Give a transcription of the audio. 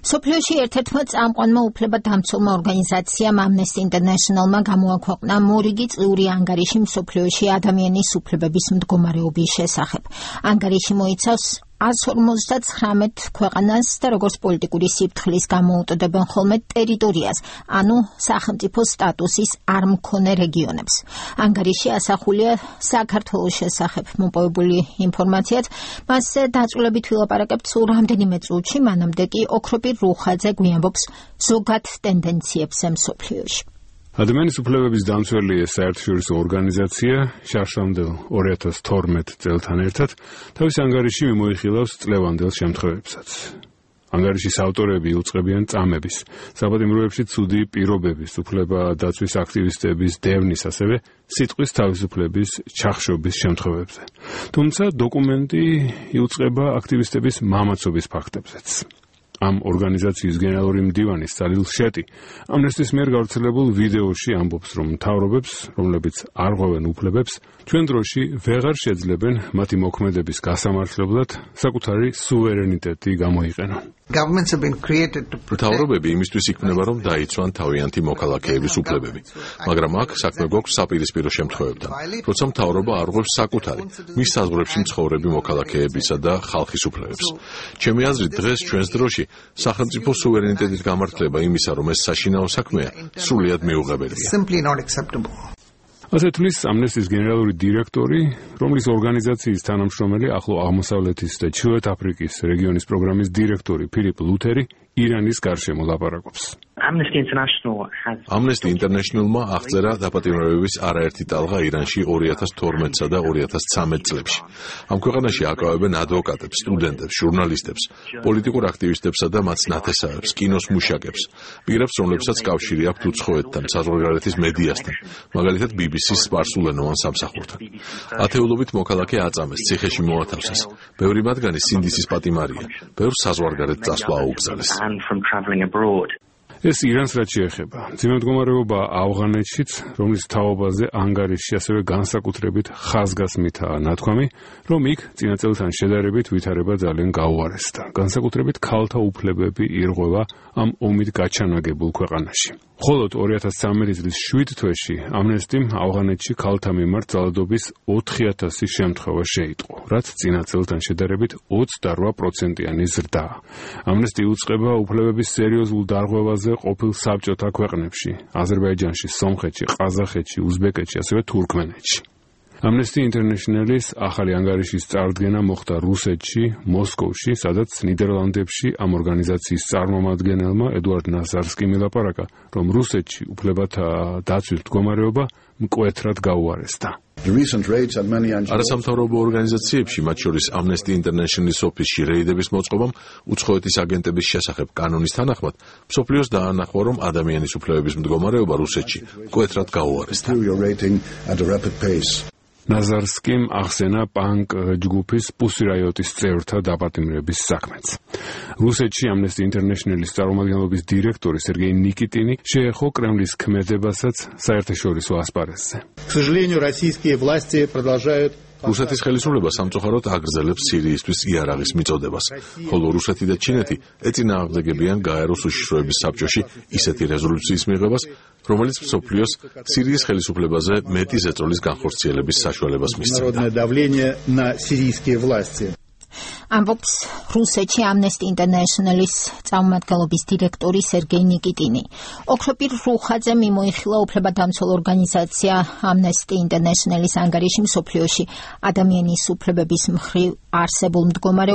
სოფლიოში ერთ-ერთმა წამყვანმა უფლებადამცველმა ორგანიზაციამ Amnesty International-მა გამოაქვეყნა მორიგი წლიური ანგარიში მსოფლიოში ადამიანის უფლებების მდგომარეობის შესახებ. ანგარიში მოიცავს 159 ქვეყანას და როგორც პოლიტიკური სიფრთხილის გამოუტოდებენ ხოლმე ტერიტორიას, ანუ სახელმწიფო სტატუსის არ მქონე რეგიონებს. ანგარიში ასახულია საქართველოს შესახებ მოპოვებული ინფორმაციაც, მასზე დაწვრილებით ვილაპარაკებთ სულ რამდენიმე წუთში, მანამდე კი ოქროპირ რუხაძე გვიამბობს ზოგად ტენდენციებზე მსოფლიოში. ადამიანის უფლებების დამცველი საერთაშორისო ორგანიზაცია შარშამდელ 2012 წელთან ერთად თავის ანგარიში მიმოიხილავს წლევანდელ შემთხვევებსაც. ანგარიშის ავტორები იუწყებიან წამების, საბატიმროებში ცუდი პირობების, უფლება დაცვის აქტივისტების დევნის, ასევე სიტყვის თავისუფლების ჩახშობის შემთხვევებზე. თუმცა დოკუმენტი იუწყება აქტივისტების მამაცობის ფაქტებზეც. ამ ორგანიზაციის გენერალური მდივანი სალილ შეტი ამნესტის მიერ გავრცელებულ ვიდეოში ამბობს, რომ მთავრობებს, რომლებიც არ ღვევენ უფლებებს, ჩვენ დროში ვეღარ შეძლებენ მათი მოქმედების გასამართლებლად საკუთარი სუვერენიტეტი გამოიყენონ. მთავრობები იმისთვის იქმნება, რომ დაიცვან თავიანთი მოქალაქეების უფლებები, მაგრამ აქ საქმე გვაქვს საპირისპირო შემთხვევებთან, როცა მთავრობა არ ღვევს საკუთარი, მის საზღვრებში მცხოვრები მოქალაქეებისა და ხალხის უფლებებს. ჩემი აზრით, დღეს ჩვენს დროში სახელმწიფო სუვერენიტეტის გამართლება იმისა, რომ ეს საშინაო საქმეა, სრულიად მიუღებელია. ასე თვლის ამნესტის გენერალური დირექტორი, რომლის ორგანიზაციის თანამშრომელი ახლო აღმოსავლეთის და ჩრდილოეთ აფრიკის რეგიონის პროგრამის დირექტორი ფილიპ ლუთერი ირანის გარშემო ლაპარაკობს. Amnesty International-მა აღწერა დაპატიმრებების არაერთი ტალღა ირანში 2012-სა და 2013 წლებში. ამ ქვეყანაში აკავებენ ადვოკატებს, სტუდენტებს, ჟურნალისტებს, პოლიტიკურ აქტივისტებსა და მათ ნათესავებს, კინოს მუშაკებს, პირებს, რომლებსაც კავშირი აქვთ უცხოეთთან, საზღვარგარეთის მედიასთან, მაგალითად BBC-ს სპარსულენოვან სამსახურთან. ათეულობით მოქალაქე აწამეს, ციხეში მოათავსეს. ბევრი მათგანი სინდისის პატიმარია, ბევრს საზღვარგარეთ წასვლა აუგზავნეს. ეს ირანს რაც შეეხება. ძიმემდგომარეობა ავღანეთშიც, რომლის თაობაზე ანგარიშში ასევე განსაკუთრებით ხაზგასმითაა ნათქვამი, რომ იქ წინა წელთან შედარებით ვითარება ძალიან გაუარესდა. განსაკუთრებით ქალთა უფლებები ირღვევა ამ ომით გაჩანაგებულ ქვეყანაში. მხოლოდ 2013 წლის 7 თვეში ამნესტიმ ავღანეთში ქალთა მიმართ ძალადობის 4000 შემთხვევა შეიტყო, რაც წინა წელთან შედარებით 28%-იანი ზრდაა. ამნესტი უწყება უფლებების სერიოზულ დარღვევაზე ყოფილ საბჭოთა ქვეყნებში, აზერბაიჯანში, სომხეთში, ყაზახეთში, უზბეკეთში, ასევე თურქმენეთში. Amnesty International-ის ახალი ანგარიშის წარდგენა მოხდა რუსეთში, მოსკოვში, სადაც ნიდერლანდებში ამ ორგანიზაციის წარმომადგენელმა ედუარდ ნაზარსკიმ ილაპარაკა, რომ რუსეთში უფლებათა დაცვის მდგომარეობა მკვეთრად გაუარესდა. არასამთავრობო ორგანიზაციებში, მათ შორის Amnesty International-ის ოფისში რეიდების მოწყობამ უცხოეთის აგენტების შესახებ კანონის თანახმად, მსოფლიოს დაანახვა, რომ ადამიანის უფლებების მდგომარეობა რუსეთში მკვეთრად გაუარესდა. ნაზარსკიმ ახსენა პანკ ჯგუფის პუსი რაიოტის წევრთა დაპატიმრების საქმეც. რუსეთში Amnesty International-ის წარმომადგენლობის დირექტორი სერგეი ნიკიტინი შეეხო კრემლის ქმედებასაც საერთაშორისო ასპარეზზე. რუსეთის ხელისუფლება სამწუხაროდ აგრძელებს სირიისთვის იარაღის მიწოდებას, ხოლო რუსეთი და ჩინეთი ეწინააღმდეგებიან გაეროს უშიშროების საბჭოში ისეთი რეზოლუციის მიღებას, რომელიც მსოფლიოს სირიის ხელისუფლებაზე მეტი ზეწოლის განხორციელების საშუალებას მისცემდა. ამბობს რუსეთში Amnesty International-ის წარმომადგენლობის დირექტორი სერგეი ნიკიტინი. ოქროპირ რუხაძე მიმოიხილა უფლებადამცველ ორგანიზაცია Amnesty International-ის ანგარიში მსოფლიოში ადამიანის უფლებების მხრივ არსებულ მდგომარეობას